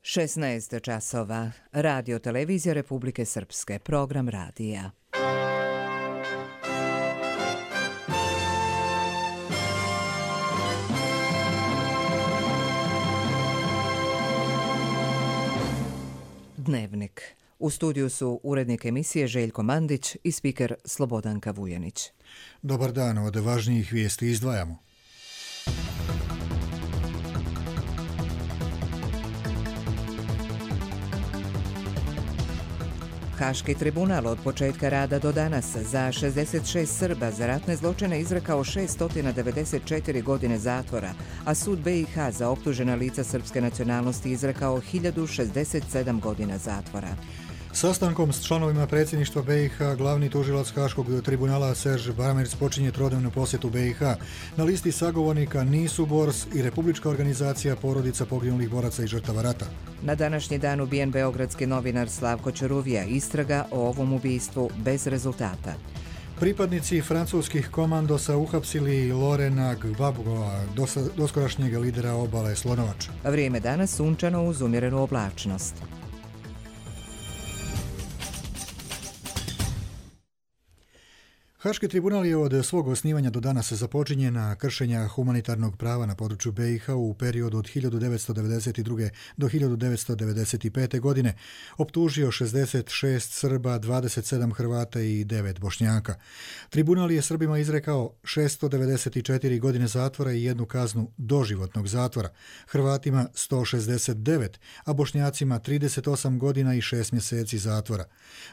16 časova. Radio televizija Republike Srpske. Program radija. Dnevnik. U studiju su urednik emisije Željko Mandić i spiker Slobodanka Vujanić. Dobar dan, od važnijih vijesti izdvajamo. Haški tribunal od početka rada do danas za 66 Srba za ratne zločine izrekao 694 godine zatvora, a sud BiH za optužena lica srpske nacionalnosti izrekao 1067 godina zatvora. Sastankom s članovima predsjedništva BiH glavni tužilac Haškog tribunala Serž Baramerc počinje trodnevnu posjetu BiH. Na listi sagovornika nisu Bors i Republička organizacija porodica poginulih boraca i žrtava rata. Na današnji dan ubijen beogradski novinar Slavko Ćuruvija, istraga o ovom ubistvu bez rezultata. Pripadnici francuskih komandosa uhapsili Lorena Gbagboa, doskorašnjeg lidera obale Slonovača. Vrijeme danas sunčano uz umjerenu oblačnost. Haški tribunal je od svog osnivanja do danas započinjena kršenja humanitarnog prava na području BiH u periodu od 1992. do 1995. godine optužio 66 Srba, 27 Hrvata i 9 Bošnjaka. Tribunal je Srbima izrekao 694 godine zatvora i jednu kaznu doživotnog zatvora, Hrvatima 169, a Bošnjacima 38 godina i 6 mjeseci zatvora.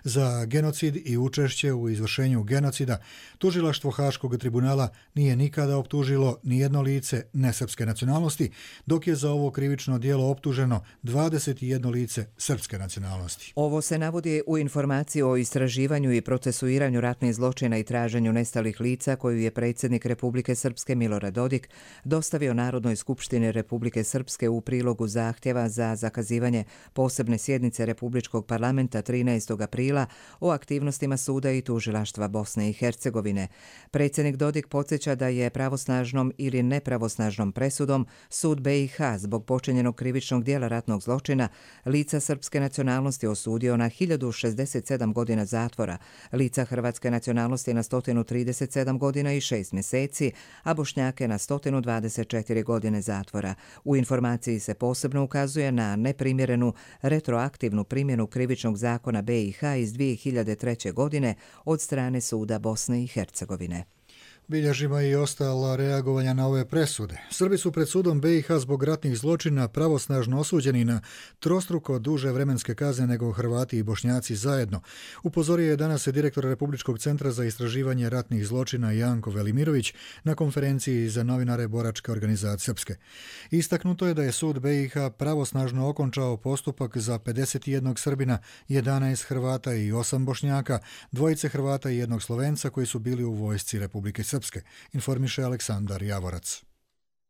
Za genocid i učešće u izvršenju genocida tužilaštvo Haškog tribunala nije nikada optužilo nijedno lice nesrpske nacionalnosti, dok je za ovo krivično djelo optuženo 21 lice srpske nacionalnosti. Ovo se navodi u informaciji o istraživanju i procesuiranju ratnih zločina i traženju nestalih lica koju je predsjednik Republike Srpske Milorad Dodik dostavio Narodnoj skupštini Republike Srpske u prilogu zahtjeva za zakazivanje posebne sjednice Republičkog parlamenta 13. aprila o aktivnostima suda i tužilaštva Bosne i Hercegovine. Predsjednik Dodik podsjeća da je pravosnažnom ili nepravosnažnom presudom sud BiH zbog počinjenog krivičnog djela ratnog zločina lica srpske nacionalnosti osudio na 1067 godina zatvora, lica hrvatske nacionalnosti na 137 godina i 6 mjeseci, a Bošnjake na 124 godine zatvora. U informaciji se posebno ukazuje na neprimjerenu retroaktivnu primjenu krivičnog zakona BiH iz 2003. godine od strane suda Bosne i Hercegovine. Bilježimo i ostala reagovanja na ove presude. Srbi su pred sudom BiH zbog ratnih zločina pravosnažno osuđeni na trostruko duže vremenske kazne nego Hrvati i Bošnjaci zajedno. Upozorio je danas direktor Republičkog centra za istraživanje ratnih zločina Janko Velimirović na konferenciji za novinare Boračke organizacije Srpske. Istaknuto je da je sud BiH pravosnažno okončao postupak za 51 Srbina, 11 Hrvata i 8 Bošnjaka, 2 Hrvata i 1 Slovenca koji su bili u vojsci Republike Srpske, informiše Aleksandar Javorac.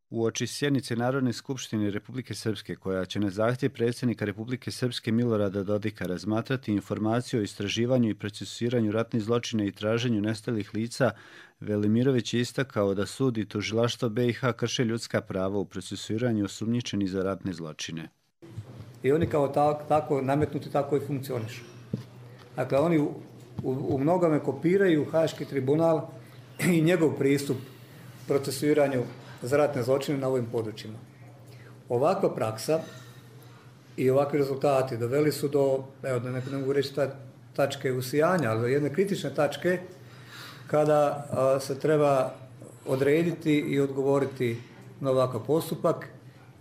Uoči sjednice Narodne skupštine Republike Srpske, koja će na zahtjev predsjednika Republike Srpske Milorada Dodika razmatrati informaciju o istraživanju i procesuiranju ratnih zločina i traženju nestalih lica, Velimirović je istakao da sud i tužilaštvo BiH krše ljudska prava u procesuiranju osumnjičenih za ratne zločine. I oni kao tako nametnuti tako i funkcionišu. Dakle, oni u mnogome kopiraju Haški tribunal i njegov pristup procesuiranju za ratne zločine na ovim područjima. Ovakva praksa i ovakvi rezultati doveli su do, ne mogu reći tačke usijanja, ali do jedne kritične tačke kada se treba odrediti i odgovoriti na ovakav postupak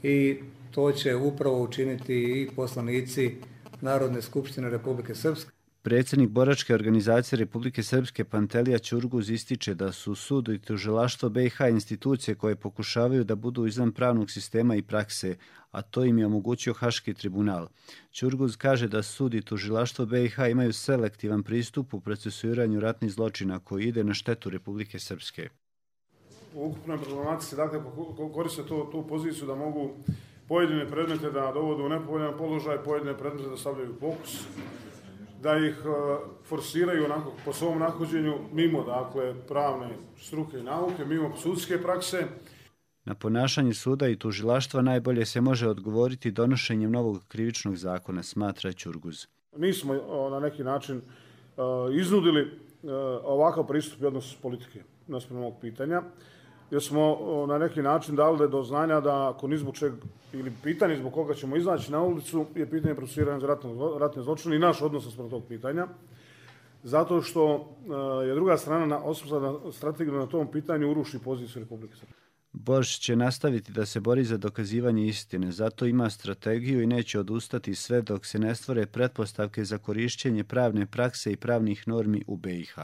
i to će upravo učiniti i poslanici Narodne skupštine Republike Srpske. Predsjednik Boračke organizacije Republike Srpske Pantelija Ćurguz ističe da su sud i tužilaštvo BiH institucije koje pokušavaju da budu izvan pravnog sistema i prakse, a to im je omogućio Haški tribunal. Ćurguz kaže da sud i tužilaštvo BiH imaju selektivan pristup u procesuiranju ratnih zločina koji ide na štetu Republike Srpske. U ukupnoj problematici dakle, koriste tu poziciju da mogu pojedine predmete da dovode u nepovoljan položaj, pojedine predmete da stavljaju fokus, da ih forsiraju onako, po svom nahođenju mimo dakle, pravne struke i nauke, mimo sudske prakse. Na ponašanje suda i tužilaštva najbolje se može odgovoriti donošenjem novog krivičnog zakona, smatra Ćurguz. Nismo na neki način iznudili ovakav pristup i odnos politike naspram ovog pitanja, jer smo na neki način dali do znanja da ako ni zbog čeg ili pitanje zbog koga ćemo izaći na ulicu je pitanje procesuiranja za ratne zločine i naš odnos naspram tog pitanja. Zato što je druga strana osmislila strategiju na tom pitanju uruši poziciju Republike Srpske. Borš će nastaviti da se bori za dokazivanje istine, zato ima strategiju i neće odustati sve dok se ne stvore pretpostavke za korišćenje pravne prakse i pravnih normi u BiH.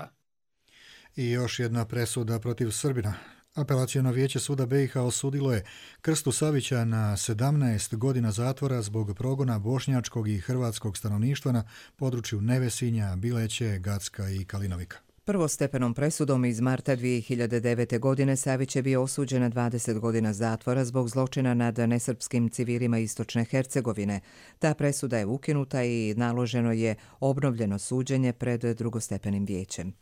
I još jedna presuda protiv Srbina. Apelaciono vijeće suda BiH osudilo je Krstu Savića na 17 godina zatvora zbog progona bošnjačkog i hrvatskog stanovništva na području Nevesinja, Bileće, Gacka i Kalinovika. Prvostepenom presudom iz marta 2009. godine Savić je bio osuđen na 20 godina zatvora zbog zločina nad nesrpskim civilima Istočne Hercegovine. Ta presuda je ukinuta i naloženo je obnovljeno suđenje pred drugostepenim vijećem.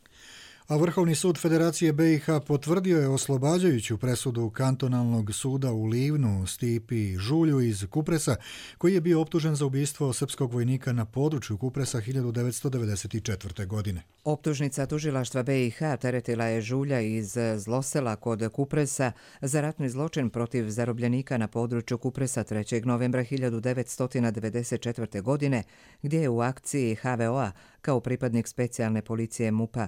A Vrhovni sud Federacije BiH potvrdio je oslobađajuću presudu kantonalnog suda u Livnu Stipi Žulju iz Kupresa, koji je bio optužen za ubistvo srpskog vojnika na području Kupresa 1994. godine. Optužnica tužilaštva BiH teretila je Žulja iz Zlosela kod Kupresa za ratni zločin protiv zarobljenika na području Kupresa 3. novembra 1994. godine, gdje je u akciji HVO-a kao pripadnik specijalne policije MUP-a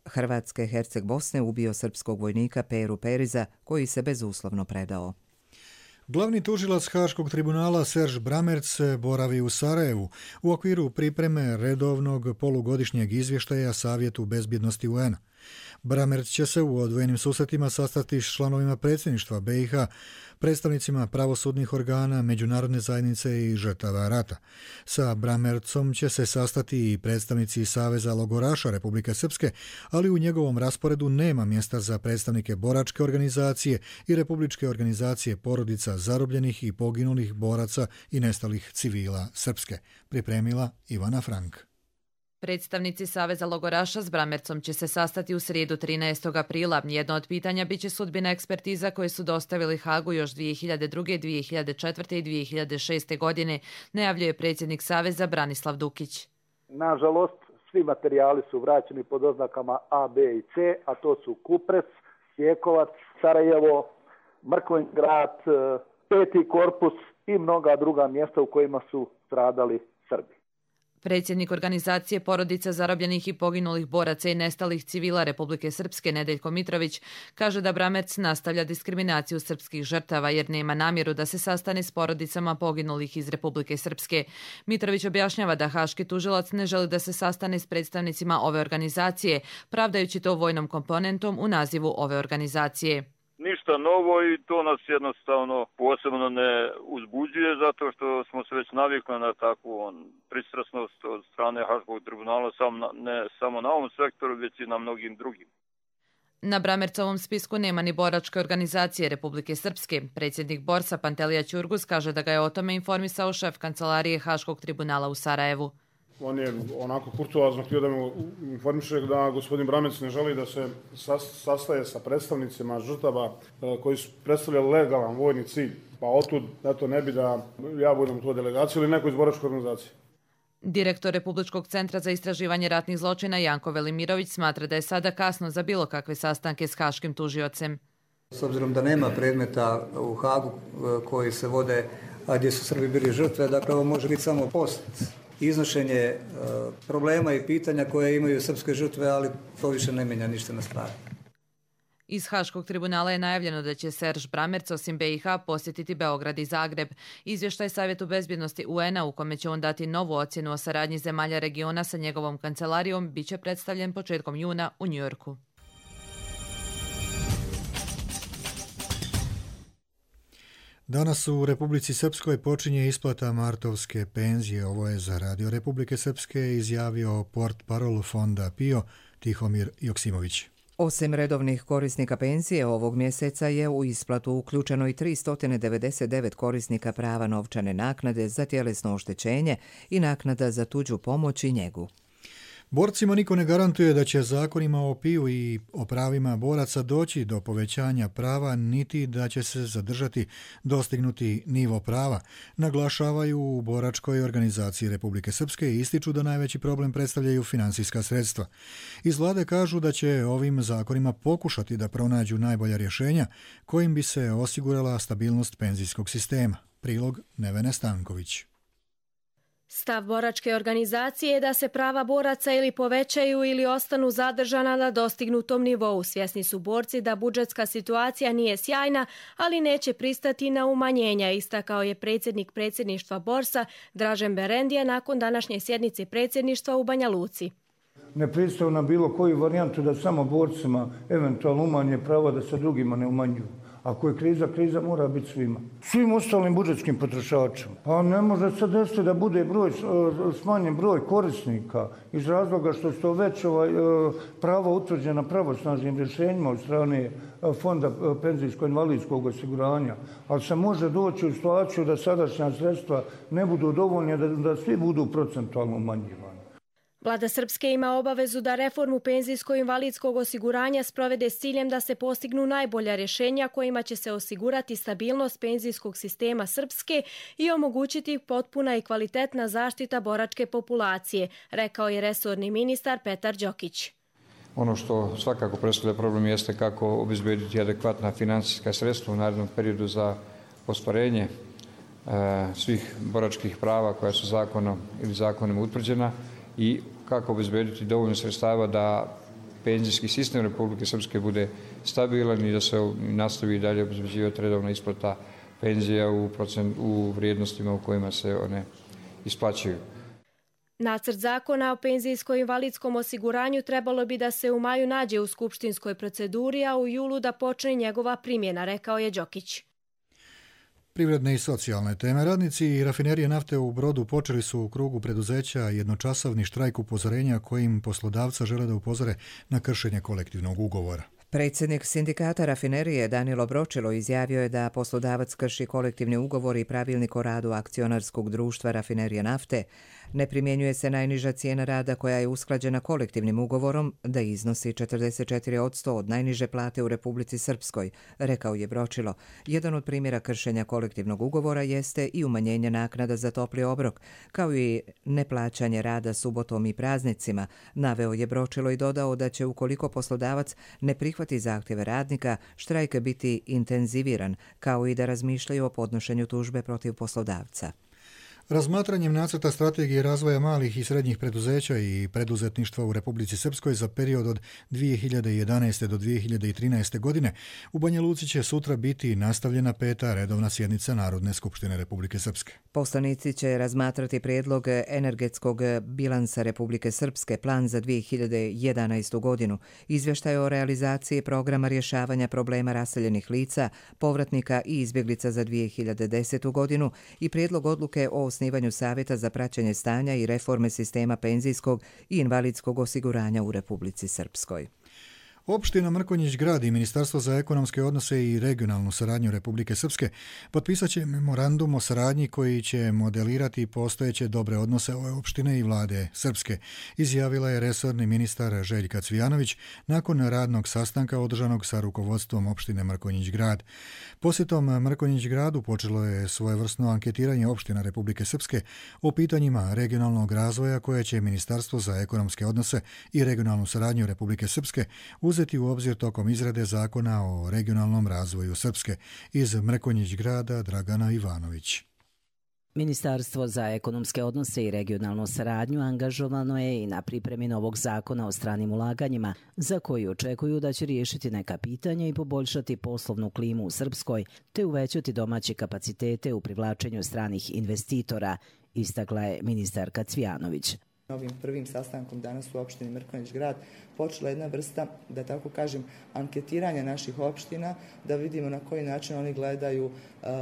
Hrvatske Herceg Bosne ubio srpskog vojnika Peru Periza, koji se bezuslovno predao. Glavni tužilac Haškog tribunala Serž Bramerc boravi u Sarajevu u okviru pripreme redovnog polugodišnjeg izvještaja Savjetu bezbjednosti UN-a. Bramerc će se u odvojenim susretima sastati s članovima predsjedništva BiH, predstavnicima pravosudnih organa, međunarodne zajednice i žrtava rata. Sa Bramercom će se sastati i predstavnici Saveza logoraša Republike Srpske, ali u njegovom rasporedu nema mjesta za predstavnike boračke organizacije i Republičke organizacije porodica zarobljenih i poginulih boraca i nestalih civila Srpske. Pripremila Ivana Frank. Predstavnici Saveza logoraša s Bramercom će se sastati u srijedu 13. aprila. Jedno od pitanja biće sudbina ekspertiza koje su dostavili Hagu još 2002., 2004. i 2006. godine, najavljuje predsjednik Saveza Branislav Dukić. Nažalost, svi materijali su vraćeni pod oznakama A, B i C, a to su Kupres, Sjekovac, Sarajevo, Mrkvin grad, 5. korpus i mnoga druga mjesta u kojima su stradali Srbi. Predsjednik organizacije porodica zarobljenih i poginulih boraca i nestalih civila Republike Srpske Nedeljko Mitrović kaže da Bramerc nastavlja diskriminaciju srpskih žrtava jer nema namjeru da se sastane s porodicama poginulih iz Republike Srpske. Mitrović objašnjava da haški tužilac ne želi da se sastane s predstavnicima ove organizacije, pravdajući to vojnom komponentom u nazivu ove organizacije. Ništa novo i to nas jednostavno posebno ne uzbuđuje zato što smo se već navikli na takvu pristrasnost od strane Haškog tribunala ne samo na ovom sektoru, već i na mnogim drugim. Na Bramercovom spisku nema ni boračke organizacije Republike Srpske. Predsjednik Borsa Pantelija Ćurguz kaže da ga je o tome informisao šef kancelarije Haškog tribunala u Sarajevu. On je onako kurtoazno htio da me informiše da gospodin Bramerc ne želi da se sastaje sa predstavnicima žrtava koji su predstavljali legalan vojni cilj. Pa otud, eto, ne bi da ja budem u toj delegaciji ili neko iz boračke organizacije. Direktor Republičkog centra za istraživanje ratnih zločina Janko Velimirović smatra da je sada kasno za bilo kakve sastanke s haškim tužiocem. S obzirom da nema predmeta u Hagu koji se vode, a gdje su Srbi bili žrtve, dakle ovo može biti samo post. Iznošenje problema i pitanja koje imaju srpske žrtve, ali to više ne mijenja ništa na stvari. Iz Haškog tribunala je najavljeno da će Serž Bramerc osim BiH posjetiti Beograd i Zagreb. Izvještaj Savjetu bezbjednosti UN-a u kome će on dati novu ocjenu o saradnji zemalja regiona sa njegovom kancelarijom biće predstavljen početkom juna u Njujorku. Danas u Republici Srpskoj počinje isplata martovske penzije. Ovo je za Radio Republike Srpske izjavio portparol fonda PIO Tihomir Joksimović. Osim redovnih korisnika penzije, ovog mjeseca je u isplatu uključeno i 399 korisnika prava novčane naknade za tjelesno oštećenje i naknada za tuđu pomoć i njegu. Borcima niko ne garantuje da će zakonima o PIU i o pravima boraca doći do povećanja prava, niti da će se zadržati dostignuti nivo prava, naglašavaju u boračkoj organizaciji Republike Srpske i ističu da najveći problem predstavljaju financijska sredstva. Iz vlade kažu da će ovim zakonima pokušati da pronađu najbolja rješenja kojim bi se osigurala stabilnost penzijskog sistema. Prilog Nevene Stanković. Stav boračke organizacije je da se prava boraca ili povećaju ili ostanu zadržana na dostignutom nivou. Svjesni su borci da budžetska situacija nije sjajna, ali neće pristati na umanjenja, istakao je predsjednik predsjedništva Borsa Dražen Berendija nakon današnje sjednice predsjedništva u Banja Luci. Ne pristaju na bilo koju varijantu da samo borcima eventualno umanje prava da se drugima ne umanjuju. Ako je kriza, kriza mora biti svima. Svim ostalim budžetskim potrošačima. Pa ne može se desiti da bude smanjen broj korisnika iz razloga što su to već prava utvrđena pravosnažnim rješenjima od strane Fonda penzijsko-invalidskog osiguranja. Ali se može doći u situaciju da sadašnja sredstva ne budu dovoljne, da svi budu procentualno umanjivani. Vlada Srpske ima obavezu da reformu penzijsko-invalidskog osiguranja sprovede s ciljem da se postignu najbolja rješenja kojima će se osigurati stabilnost penzijskog sistema Srpske i omogućiti potpuna i kvalitetna zaštita boračke populacije, rekao je resorni ministar Petar Đokić. Ono što svakako predstavlja problem jeste kako obezbediti adekvatna financijska sredstva u narednom periodu za ostvarenje svih boračkih prava koja su zakonom ili zakonom utvrđena i kako obezbediti dovoljno sredstava da penzijski sistem Republike Srpske bude stabilan i da se nastavi dalje obezbeđivati redovna isplata penzija u vrijednostima u kojima se one isplaćuju. Nacrt zakona o penzijsko-invalidskom osiguranju trebalo bi da se u maju nađe u skupštinskoj proceduri, a u julu da počne njegova primjena, rekao je Đokić. Privredne i socijalne teme. Radnici i rafinerije nafte u Brodu počeli su u krugu preduzeća jednočasovni štrajk upozorenja kojim poslodavca žele da upozore na kršenje kolektivnog ugovora. Predsjednik sindikata rafinerije Danilo Bročilo izjavio je da poslodavac krši kolektivni ugovor i pravilnik o radu akcionarskog društva Rafinerije nafte. Ne primjenjuje se najniža cijena rada koja je usklađena kolektivnim ugovorom da iznosi 44% od najniže plate u Republici Srpskoj, rekao je Bročilo. Jedan od primjera kršenja kolektivnog ugovora jeste i umanjenje naknada za topli obrok, kao i neplaćanje rada subotom i praznicima, naveo je Bročilo i dodao da će ukoliko poslodavac ne prihvati zahtjeve radnika, štrajk biti intenziviran, kao i da razmišljaju o podnošenju tužbe protiv poslodavca. Razmatranjem nacrta strategije razvoja malih i srednjih preduzeća i preduzetništva u Republici Srpskoj za period od 2011. do 2013. godine u Banja Luci će sutra biti nastavljena 5. redovna sjednica Narodne skupštine Republike Srpske. Poslanici će razmatrati prijedlog energetskog bilansa Republike Srpske, plan za 2011. godinu, izvještaj o realizaciji programa rješavanja problema raseljenih lica, povratnika i izbjeglica za 2010. godinu i prijedlog odluke o osnivanju Savjeta za praćenje stanja i reforme sistema penzijskog i invalidskog osiguranja u Republici Srpskoj. Opština Mrkonjić Grad i Ministarstvo za ekonomske odnose i regionalnu saradnju Republike Srpske potpisat će memorandum o saradnji koji će modelirati postojeće dobre odnose ove opštine i vlade Srpske, izjavila je resorni ministar Željka Cvijanović nakon radnog sastanka održanog sa rukovodstvom opštine Mrkonjić Grad. Posjetom Mrkonjić Gradu počelo je svojevrsno anketiranje opština Republike Srpske o pitanjima regionalnog razvoja koje će Ministarstvo za ekonomske odnose i regionalnu saradnju Republike Srpske uzeti u obzir tokom izrade zakona o regionalnom razvoju Srpske. Iz Mrkonjić Grada Dragana Ivanović. Ministarstvo za ekonomske odnose i regionalnu saradnju angažovano je i na pripremi novog zakona o stranim ulaganjima, za koji očekuju da će riješiti neka pitanja i poboljšati poslovnu klimu u Srpskoj, te uvećati domaće kapacitete u privlačenju stranih investitora, istakla je ministarka Cvijanović. Ovim prvim sastankom danas u opštini Mrkonjić Grad počela jedna vrsta, da tako kažem, anketiranja naših opština, da vidimo na koji način oni gledaju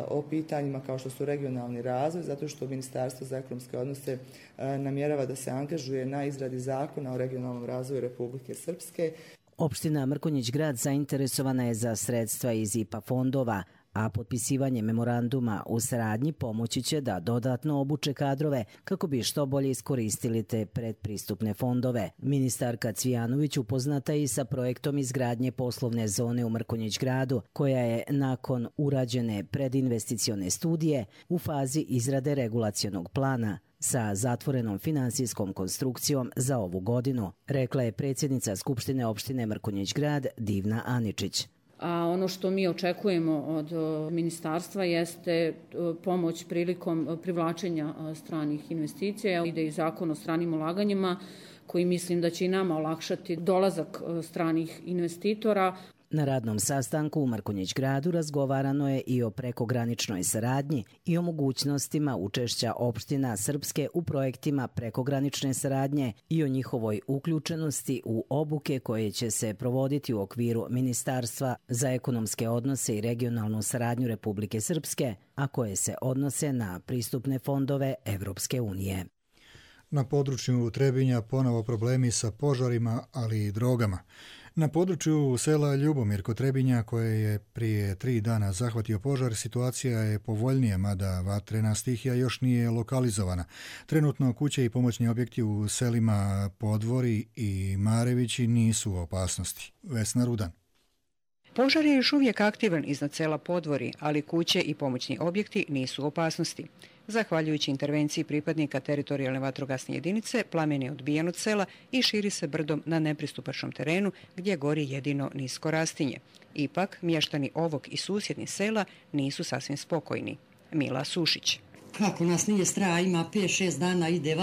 o pitanjima kao što su regionalni razvoj, zato što Ministarstvo za ekonomske odnose namjerava da se angažuje na izradi zakona o regionalnom razvoju Republike Srpske. Opština Mrkonjić Grad zainteresovana je za sredstva iz IPA fondova, a potpisivanje memoranduma u saradnji pomoći će da dodatno obuče kadrove kako bi što bolje iskoristili te predpristupne fondove. Ministarka Cvijanović upoznata i sa projektom izgradnje poslovne zone u Mrkonjić gradu, koja je nakon urađene predinvesticione studije u fazi izrade regulacionog plana sa zatvorenom finansijskom konstrukcijom za ovu godinu, rekla je predsjednica Skupštine opštine Mrkonjić grad Divna Aničić. A ono što mi očekujemo od ministarstva jeste pomoć prilikom privlačenja stranih investicija. Ide i zakon o stranim ulaganjima koji mislim da će i nama olakšati dolazak stranih investitora. Na radnom sastanku u Mrkonjić gradu razgovarano je i o prekograničnoj saradnji i o mogućnostima učešća opština srpske u projektima prekogranične saradnje i o njihovoj uključenosti u obuke koje će se provoditi u okviru Ministarstva za ekonomske odnose i regionalnu saradnju Republike Srpske, a koje se odnose na pristupne fondove Evropske unije. Na području Trebinja ponovo problemi sa požarima, ali i drogama. Na području sela Ljubomir kod Trebinja, koje je prije 3 dana zahvatio požar, situacija je povoljnija, mada vatrena stihija još nije lokalizovana. Trenutno kuće i pomoćni objekti u selima Podvori i Marevići nisu u opasnosti. Vesna Rudan. Požar je još uvijek aktivan iznad sela Podvori, ali kuće i pomoćni objekti nisu u opasnosti. Zahvaljujući intervenciji pripadnika teritorijalne vatrogasne jedinice, plamen je odbijen od sela i širi se brdom na nepristupačnom terenu gdje gori jedino nisko rastinje. Ipak, mještani ovog i susjednih sela nisu sasvim spokojni. Mila Sušić. Kako nas nije straha, ima 5-6 dana, ide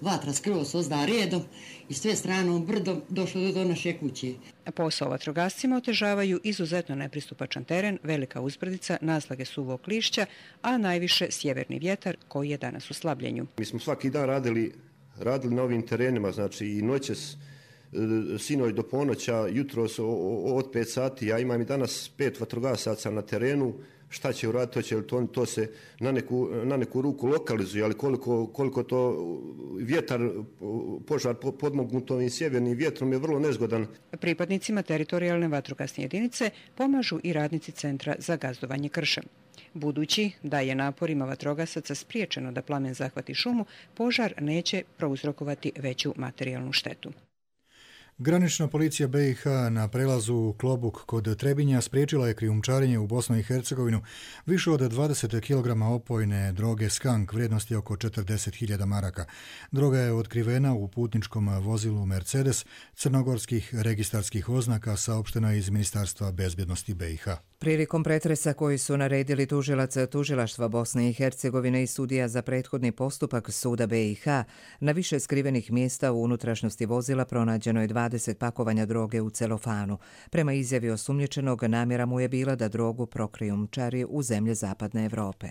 vatra skroz ozda redom i sve stranom brdom došlo do naše kuće. Posao vatrogascima otežavaju izuzetno nepristupačan teren, velika uzbrdica, naslage suvog lišća, a najviše sjeverni vjetar koji je danas u slabljenju. Mi smo svaki dan radili na ovim terenima, znači i noćas, sinoć do ponoća, jutros od 5 sati. Ja imam i danas 5 vatrogasaca na terenu. Šta će uraditi, to se na neku ruku lokalizuje, ali koliko to vjetar, požar podmognut ovim sjevernim vjetrom je vrlo nezgodan. Pripadnicima teritorijalne vatrogasne jedinice pomažu i radnici Centra za gazdovanje kršem. Budući da je naporima vatrogasaca spriječeno da plamen zahvati šumu, požar neće prouzrokovati veću materijalnu štetu. Granična policija BiH na prelazu Klobuk kod Trebinja spriječila je krijumčarenje u Bosnu i Hercegovinu više od 20 kg opojne droge skank vrijednosti oko 40.000 maraka. Droga je otkrivena u putničkom vozilu Mercedes crnogorskih registarskih oznaka, saopšteno iz Ministarstva bezbjednosti BiH. Prilikom pretresa koji su naredili tužilac tužilaštva Bosne i Hercegovine i sudija za prethodni postupak suda BiH, na više skrivenih mjesta u unutrašnjosti vozila pronađeno je 20 pakovanja droge u celofanu. Prema izjavi osumnjičenog, namjera mu je bila da drogu prokrijumčari u zemlje zapadne Evrope.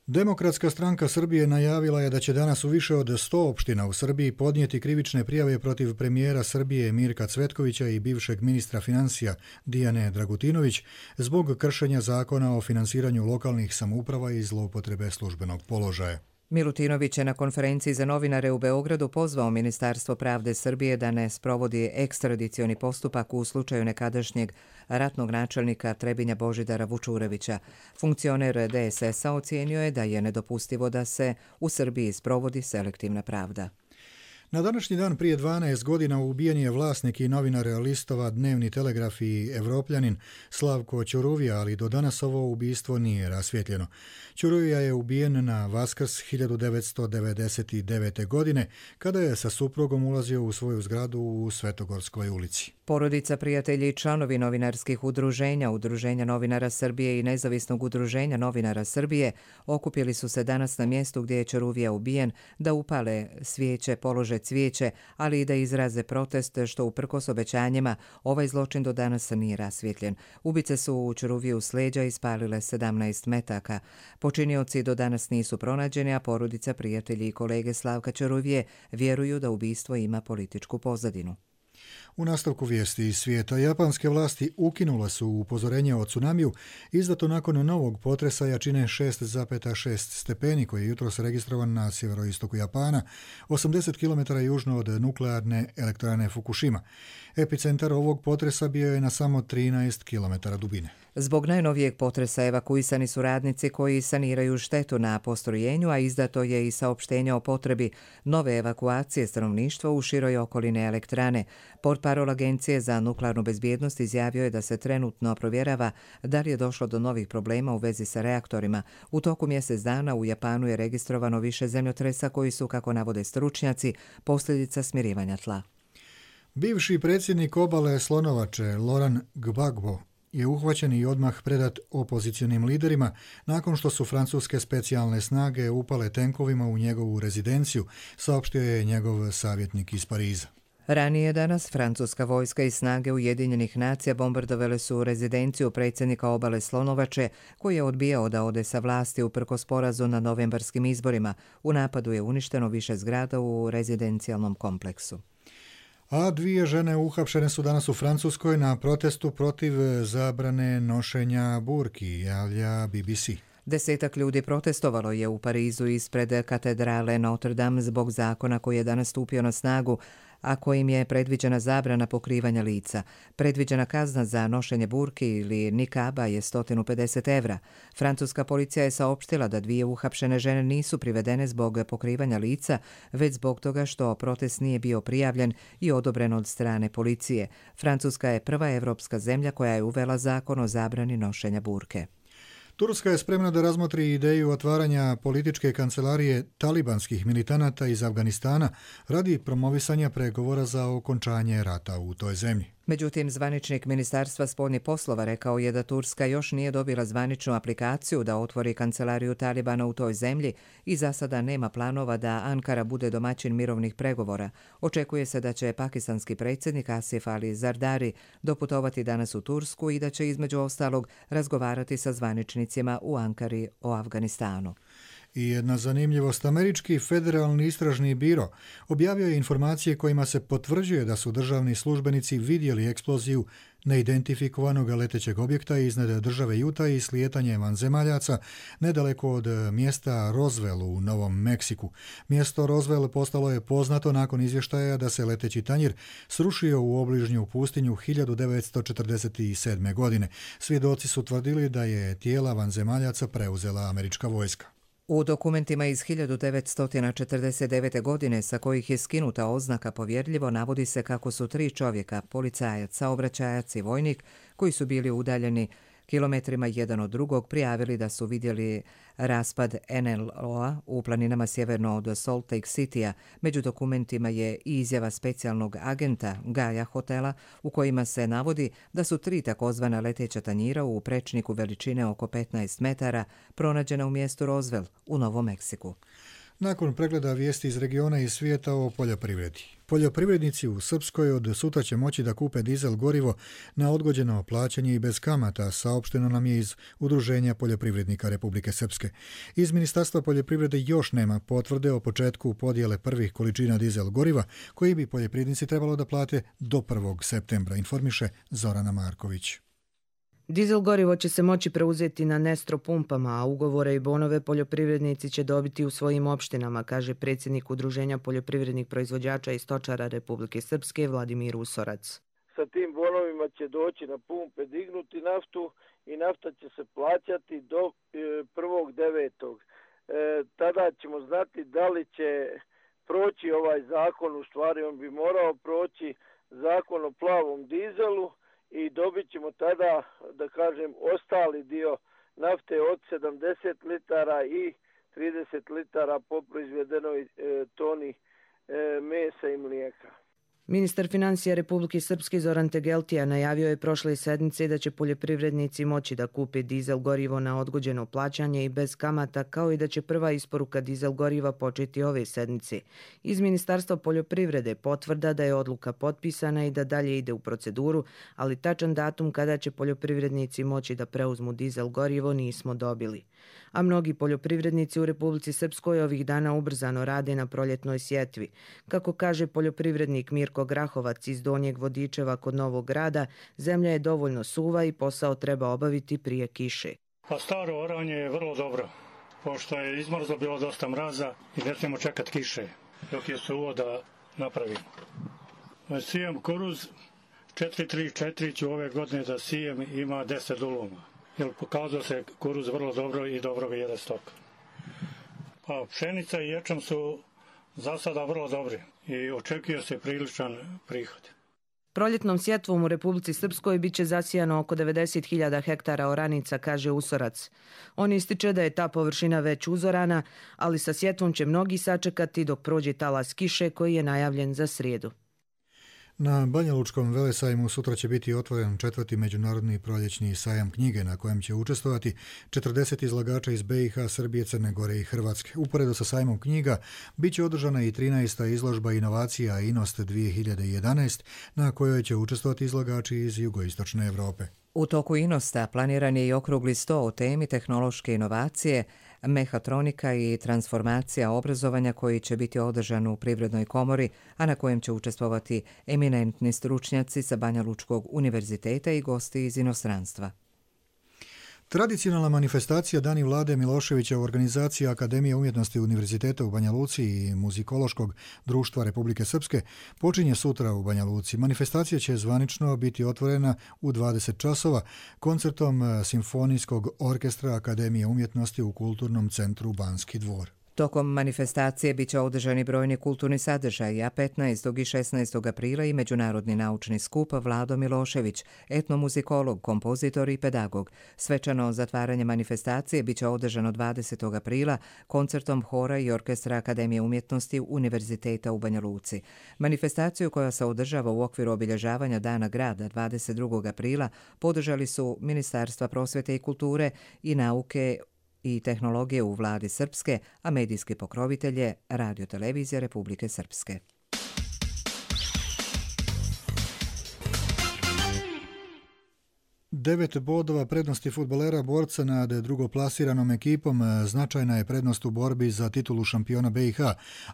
Demokratska stranka Srbije najavila je da će danas u više od 100 opština u Srbiji podnijeti krivične prijave protiv premijera Srbije Mirka Cvetkovića i bivšeg ministra financija Dijane Dragutinović zbog kršenja zakona o finansiranju lokalnih samouprava i zloupotrebe službenog položaja. Milutinović je na konferenciji za novinare u Beogradu pozvao Ministarstvo pravde Srbije da ne sprovodi ekstradicioni postupak u slučaju nekadašnjeg ratnog načelnika Trebinja Božidara Vučurevića. Funkcioner DSS-a ocijenio je da je nedopustivo da se u Srbiji sprovodi selektivna pravda. Na današnji dan prije 12 godina ubijen je vlasnik i novinar listova Dnevni telegraf i Evropljanin Slavko Ćuruvija, ali do danas ovo ubistvo nije rasvjetljeno. Ćuruvija je ubijen na Vaskrs 1999. godine, kada je sa suprugom ulazio u svoju zgradu u Svetogorskoj ulici. Porodica, prijatelji i članovi novinarskih udruženja, Udruženja novinara Srbije i Nezavisnog udruženja novinara Srbije okupili su se danas na mjestu gdje je Ćuruvija ubijen da upale svijeće, polože cvijeće, ali i da izraze protest što uprkos obećanjima ovaj zločin do danas nije rasvjetljen. Ubice su u Ćuruviju s leđa ispalile 17 metaka. Počinioci do danas nisu pronađeni, a porodica, prijatelji i kolege Slavka Ćuruvije vjeruju da ubistvo ima političku pozadinu. U nastavku vijesti iz svijeta, japanske vlasti ukinule su upozorenje o tsunamiju izdato nakon novog potresa jačine 6,6 stepeni koji je jutros registrovan na sjeveroistoku Japana, 80 km južno od nuklearne elektrane Fukushima. Epicentar ovog potresa bio je na samo 13 km dubine. Zbog najnovijeg potresa evakuisani su radnici koji saniraju štetu na postrojenju, a izdato je i saopštenje o potrebi nove evakuacije stanovništva u široj okolini elektrane. Portparol Agencije za nuklearnu bezbjednost izjavio je da se trenutno provjerava da li je došlo do novih problema u vezi sa reaktorima. U toku mjesec dana u Japanu je registrovano više zemljotresa koji su, kako navode stručnjaci, posljedica smirivanja tla. Bivši predsjednik obale Slonovače Laurent Gbagbo je uhvaćen i odmah predat opozicionim liderima nakon što su francuske specijalne snage upale tenkovima u njegovu rezidenciju, saopštio je njegov savjetnik iz Pariza. Ranije danas francuska vojska i snage Ujedinjenih nacija bombardovale su rezidenciju predsjednika obale Slonovače, koji je odbijao da ode sa vlasti uprkos porazu na novembarskim izborima. U napadu je uništeno više zgrada u rezidencijalnom kompleksu. A dvije žene uhapšene su danas u Francuskoj na protestu protiv zabrane nošenja burki, javlja BBC. 10 ljudi protestovalo je u Parizu ispred katedrale Notre Dame zbog zakona koji je danas stupio na snagu, a kojim je predviđena zabrana pokrivanja lica. Predviđena kazna za nošenje burki ili nikaba je 150 evra. Francuska policija je saopštila da dvije uhapšene žene nisu privedene zbog pokrivanja lica, već zbog toga što protest nije bio prijavljen i odobren od strane policije. Francuska je prva evropska zemlja koja je uvela zakon o zabrani nošenja burke. Turska je spremna da razmotri ideju otvaranja političke kancelarije talibanskih militanata iz Afganistana radi promovisanja pregovora za okončanje rata u toj zemlji. Međutim, zvaničnik Ministarstva spoljnih poslova rekao je da Turska još nije dobila zvaničnu aplikaciju da otvori kancelariju Talibana u toj zemlji i za sada nema planova da Ankara bude domaćin mirovnih pregovora. Očekuje se da će pakistanski predsjednik Asif Ali Zardari doputovati danas u Tursku i da će između ostalog razgovarati sa zvaničnicima u Ankari o Afganistanu. I jedna zanimljivost, američki federalni istražni biro objavio je informacije kojima se potvrđuje da su državni službenici vidjeli eksploziju neidentifikovanog letećeg objekta iznad države Utah i slijetanje vanzemaljaca nedaleko od mjesta Roswell u Novom Meksiku. Mjesto Roswell postalo je poznato nakon izvještaja da se leteći tanjir srušio u obližnju pustinju 1947. godine. Svjedoci su tvrdili da je tijela vanzemaljaca preuzela američka vojska. U dokumentima iz 1949. godine sa kojih je skinuta oznaka povjerljivo navodi se kako su 3 čovjeka, policajac, saobraćajac i vojnik, koji su bili udaljeni kilometrima jedan od drugog, prijavili da su vidjeli raspad NLO-a u planinama sjeverno od Salt Lake City-a. Među dokumentima je i izjava specijalnog agenta Gaja hotela u kojima se navodi da su 3 takozvana leteća tanjira u prečniku veličine oko 15 metara pronađena u mjestu Roswell u Novom Meksiku. Nakon pregleda vijesti iz regiona i svijeta o poljoprivredi. Poljoprivrednici u Srpskoj od sutra će moći da kupe dizel gorivo na odgođeno plaćanje i bez kamata, saopšteno nam je iz Udruženja poljoprivrednika Republike Srpske. Iz Ministarstva poljoprivrede još nema potvrde o početku podjele prvih količina dizel goriva koji bi poljoprivrednici trebalo da plate do 1. septembra, informiše Zorana Marković. Dizel gorivo će se moći preuzeti na Nestro pumpama, a ugovore i bonove poljoprivrednici će dobiti u svojim opštinama, kaže predsjednik Udruženja poljoprivrednih proizvođača i stočara Republike Srpske Vladimir Usorac. Sa tim bonovima će doći na pumpe, dignuti naftu i nafta će se plaćati do 1.9. Tada ćemo znati da li će proći ovaj zakon, u stvari on bi morao proći zakon o plavom dizelu, i dobit ćemo tada, da kažem, ostali dio nafte od 70 litara i 30 litara po proizvedenoj toni mesa i mlijeka. Ministar financija Republike Srpske Zoran Tegeltija najavio je prošle sedmice da će poljoprivrednici moći da kupe dizel gorivo na odgođeno plaćanje i bez kamata, kao i da će prva isporuka dizel goriva početi ove sedmice. Iz Ministarstva poljoprivrede potvrda da je odluka potpisana i da dalje ide u proceduru, ali tačan datum kada će poljoprivrednici moći da preuzmu dizel gorivo nismo dobili. a mnogi poljoprivrednici u Republici Srpskoj ovih dana ubrzano rade na proljetnoj sjetvi. Kako kaže poljoprivrednik Mirko Grahovac iz Donjeg Vodičeva kod Novog Grada, zemlja je dovoljno suva i posao treba obaviti prije kiše. Pa staro oranje je vrlo dobro, pošto je izmrzlo bilo dosta mraza i ne smijemo čekati kiše, dok je suvo da napravimo. Sijem kuruz 434 ću ove godine da sijem, ima 10 duluma, jer pokazao se kuruz vrlo dobro i dobro ga jede stok. Pa pšenica i ječam su za sada vrlo dobri i očekuje se priličan prihod. Proljetnom sjetvom u Republici Srpskoj bit će zasijano oko 90.000 hektara oranica, kaže Usorac. On ističe da je ta površina već uzorana, ali sa sjetvom će mnogi sačekati dok prođe talas kiše koji je najavljen za srijedu. Na Banjalučkom velesajmu sutra će biti otvoren 4. međunarodni proljećni sajam knjige na kojem će učestvovati 40 izlagača iz BiH, Srbije, Crne Gore i Hrvatske. Uporedo sa sajmom knjiga bit će održana i 13. izložba inovacija Inost 2011 na kojoj će učestvovati izlagači iz jugoistočne Europe. U toku Inosta planiran je i okrugli sto o temi tehnološke inovacije, mehatronika i transformacija obrazovanja koji će biti održan u Privrednoj komori, a na kojem će učestvovati eminentni stručnjaci sa Banjalučkog univerziteta i gosti iz inostranstva. Tradicionalna manifestacija Dani Vlade Miloševića u organizaciji Akademije umjetnosti Univerziteta u Banja Luci i Muzikološkog društva Republike Srpske počinje sutra u Banja Luci. Manifestacija će zvanično biti otvorena u 20 časova koncertom Simfonijskog orkestra Akademije umjetnosti u Kulturnom centru Banski dvor. Tokom manifestacije biće održani brojni kulturni sadržaji, a 15. i 16. aprila i međunarodni naučni skup Vlado Milošević, etnomuzikolog, kompozitor i pedagog. Svečano zatvaranje manifestacije biće održano 20. aprila koncertom hora i orkestra Akademije umjetnosti Univerziteta u Banja Luci. Manifestaciju koja se održava u okviru obilježavanja Dana grada 22. aprila podržali su Ministarstva prosvete i kulture i nauke i tehnologije u vladi Srpske, a medijski pokrovitelj je Radio-televizija Republike Srpske. Devet bodova prednosti fudbalera borca nad drugoplasiranom ekipom značajna je prednost u borbi za titulu šampiona BiH,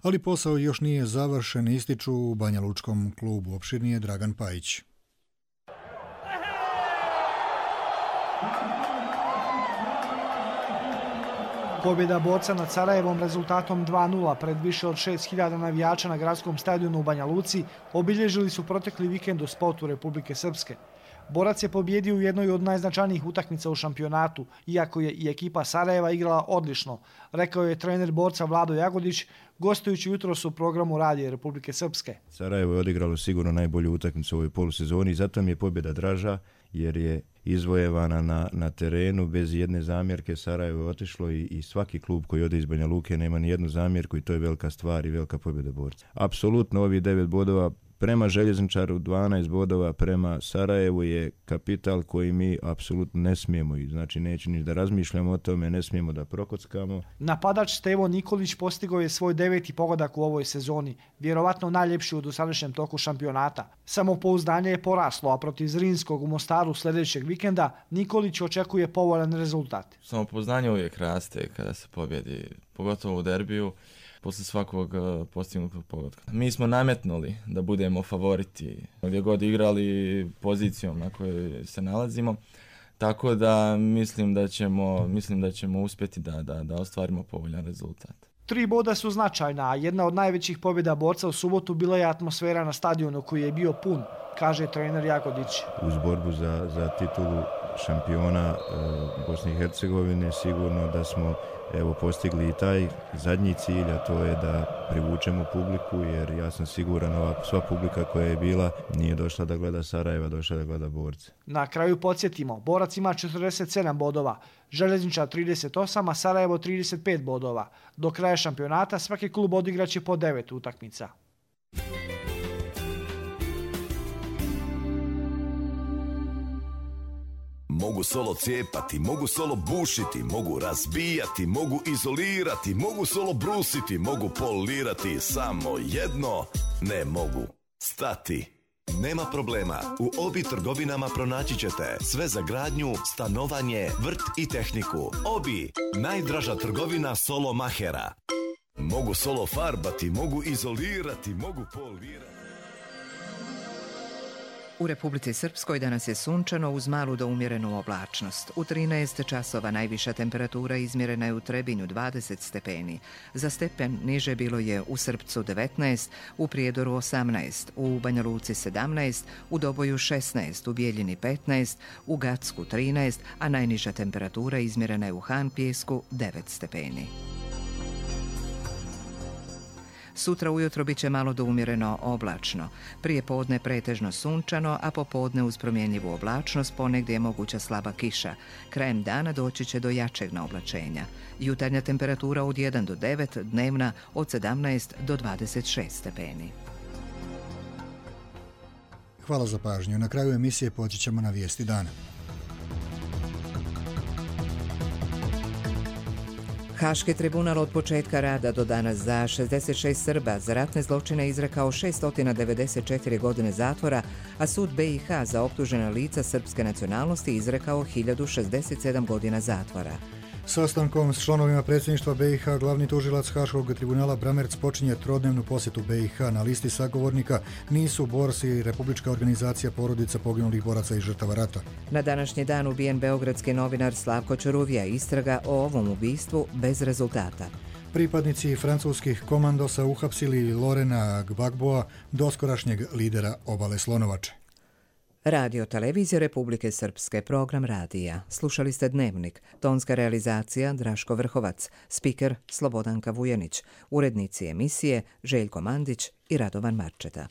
ali posao još nije završen, ističu u Banjalučkom klubu. Opširnije Dragan Pajić. Pobjeda borca nad Sarajevom rezultatom 2:0 pred više od 6.000 navijača na gradskom stadionu u Banja Luci obilježili su protekli vikend u sportu Republike Srpske. Borac je pobjedio u jednoj od najznačajnijih utakmica u šampionatu, iako je i ekipa Sarajeva igrala odlično, rekao je trener borca Vlado Jagodić, gostujući jutros u programu Radija Republike Srpske. Sarajevo je odigralo sigurno najbolju utakmicu u ovoj polusezoni i zato mi je pobjeda draža, jer je izvojevana na terenu bez jedne zamjerke. Sarajevo je otišlo i svaki klub koji ode iz Banja Luke nema ni jednu zamjerku i to je velika stvar i velika pobjeda borca. Apsolutno ovih 9 bodova prema Željezničaru, 12 bodova prema Sarajevu je kapital koji mi apsolutno ne smijemo, znači neću ni da razmišljamo o tome, ne smijemo da prokockamo. Napadač Stevo Nikolić postigao je svoj 9. pogodak u ovoj sezoni, vjerovatno najljepši u dosadašnjem toku šampionata. Samopouzdanje je poraslo, a protiv Zrinskog u Mostaru sljedećeg vikenda Nikolić očekuje povoljan rezultat. Samopouzdanje uvijek raste kada se pobjedi, pogotovo u derbiju. Posle svakog postignutog pogotka. Mi smo nametnuli da budemo favoriti gdje god igrali pozicijom na kojoj se nalazimo, tako da mislim da ćemo uspjeti da ostvarimo povoljan rezultat. 3 boda su značajna, a jedna od najvećih pobjeda borca u subotu bila je atmosfera na stadionu koji je bio pun, kaže trener Jagodić. Uz borbu za titulu šampiona Bosne i Hercegovine sigurno da smo postigli i taj zadnji cilj, a to je da privučemo publiku, jer ja sam siguran sva publika koja je bila nije došla da gleda Sarajeva, došla da gleda borce. Na kraju podsjetimo, borac ima 47 bodova, Željezničar 38, a Sarajevo 35 bodova. Do kraja šampionata svaki klub odigraće po 9 utakmica. Mogu solo cijepati, mogu solo bušiti, mogu razbijati, mogu izolirati, mogu solo brusiti, mogu polirati, samo jedno ne mogu stati. Nema problema, u Obi trgovinama pronaći ćete sve za gradnju, stanovanje, vrt i tehniku. Obi, najdraža trgovina solo mahera. Mogu solo farbati, mogu izolirati, mogu polirati. U Republici Srpskoj danas je sunčano uz malu do umjerenu oblačnost. U 13 časova najviša temperatura izmjerena je u Trebinju 20 stepeni. Za stepen niže bilo je u Srpcu 19, u Prijedoru 18, u Banja Luci 17, u Doboju 16, u Bijeljini 15, u Gacku 13, a najniža temperatura izmjerena je u Han Pijesku 9 stepeni. Sutra ujutro bit će malo do umjereno oblačno. Prije podne pretežno sunčano, a popodne uz promjenjivu oblačnost ponegdje je moguća slaba kiša. Krajem dana doći će do jačeg naoblačenja. Jutarnja temperatura od 1 do 9, dnevna od 17 do 26 stepeni. Hvala za pažnju. Na kraju emisije poći ćemo na vijesti dana. Haški tribunal od početka rada do danas za 66 Srba za ratne zločine izrekao 694 godine zatvora, a sud BiH za optužena lica srpske nacionalnosti izrekao 1067 godina zatvora. Sastankom s članovima predsjedništva BiH glavni tužilac Haškog tribunala Bramerc počinje trodnevnu posjetu BiH. Na listi sagovornika nisu borci i Republička organizacija porodica poginulih boraca i žrtava rata. Na današnji dan ubijen beogradski novinar Slavko Ćuruvija. Istraga o ovom ubistvu bez rezultata. Pripadnici francuskih komandosa uhapsili Lorena Gbagboa, doskorašnjeg lidera obale Slonovače. Radio Televizija Republike Srpske, program radija. Slušali ste Dnevnik, tonska realizacija Draško Vrhovac, spiker Slobodanka Vujanić, urednici emisije Željko Mandić i Radovan Marčeta.